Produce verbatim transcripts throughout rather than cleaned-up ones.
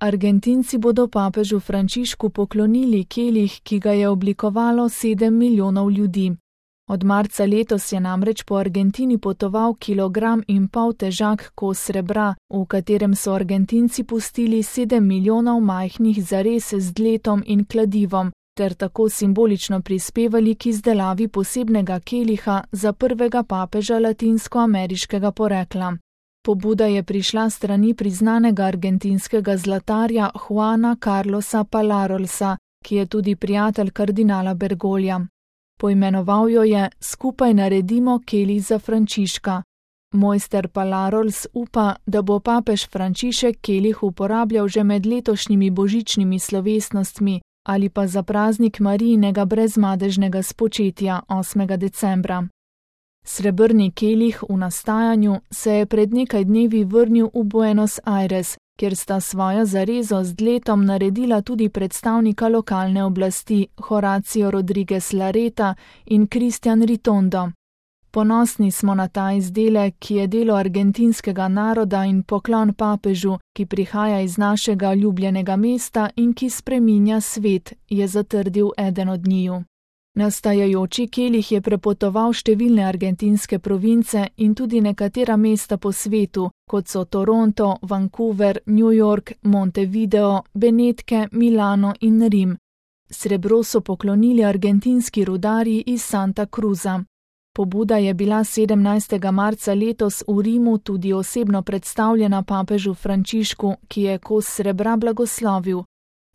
Argentinci bodo papežu Frančišku poklonili kelih, ki ga je oblikovalo sedem milijonov ljudi. Od marca letos je namreč po Argentini potoval kilogram in pol težak kos srebra, v katerem so Argentinci pustili sedem milijonov majhnih zares z dletom in kladivom, ter tako simbolično prispevali k izdelavi posebnega keliha za prvega papeža latinskoameriškega porekla. Pobuda je prišla strani priznanega argentinskega zlatarja Juana Carlosa Palarolsa, ki je tudi prijatelj kardinala Bergoglja. Poimenoval jo je Skupaj naredimo kelih za Frančiška. Mojster Palarols upa, da bo papež Frančišek kelih uporabljal že med letošnjimi božičnimi slovesnostmi ali pa za praznik Marijinega brezmadežnega spočetja osmega decembra. Srebrni kelih v nastajanju se je pred nekaj dnevi vrnil v Buenos Aires, kjer sta svojo zarezo z dletom naredila tudi predstavnika lokalne oblasti Horacio Rodriguez Larreta in Cristian Ritondo. Ponosni smo na ta izdelek, ki je delo argentinskega naroda in poklon papežu, ki prihaja iz našega ljubljenega mesta in ki spreminja svet, je zatrdil eden od njiju. Nastajajoči kelih je prepotoval številne argentinske province in tudi nekatera mesta po svetu, kot so Toronto, Vancouver, New York, Montevideo, Benetke, Milano in Rim. Srebro so poklonili argentinski rudarji iz Santa Cruza. Pobuda je bila sedemnajstega marca letos v Rimu tudi osebno predstavljena papežu Frančišku, ki je kos srebra blagoslovil.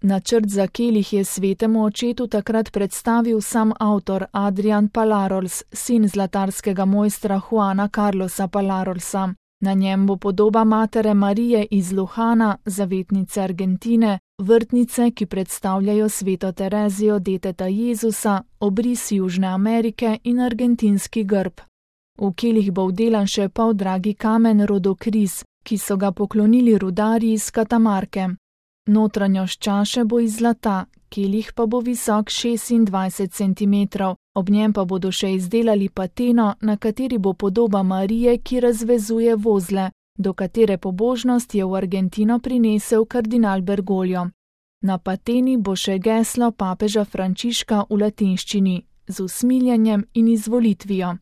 Načrt za kelih je svetemu očetu takrat predstavil sam avtor Adrian Palarols, sin zlatarskega mojstra Juana Carlosa Palarolsa. Na njem bo podoba matere Marije iz Luhana, zavetnice Argentine, vrtnice, ki predstavljajo sveto Terezijo deteta Jezusa, obris Južne Amerike in argentinski grb. V kelih bo vdelan še poldragi kamen rodokriz, ki so ga poklonili rudarji iz Katamarke. Notranjost čaše bo iz zlata, kelih pa bo visok šestindvajset centimetrov, ob njem pa bodo še izdelali pateno, na kateri bo podoba Marije, ki razvezuje vozle, do katere pobožnost je v Argentino prinesel kardinal Bergoglio. Na pateni bo še geslo papeža Frančiška v latinščini, z usmiljenjem in izvolitvijo.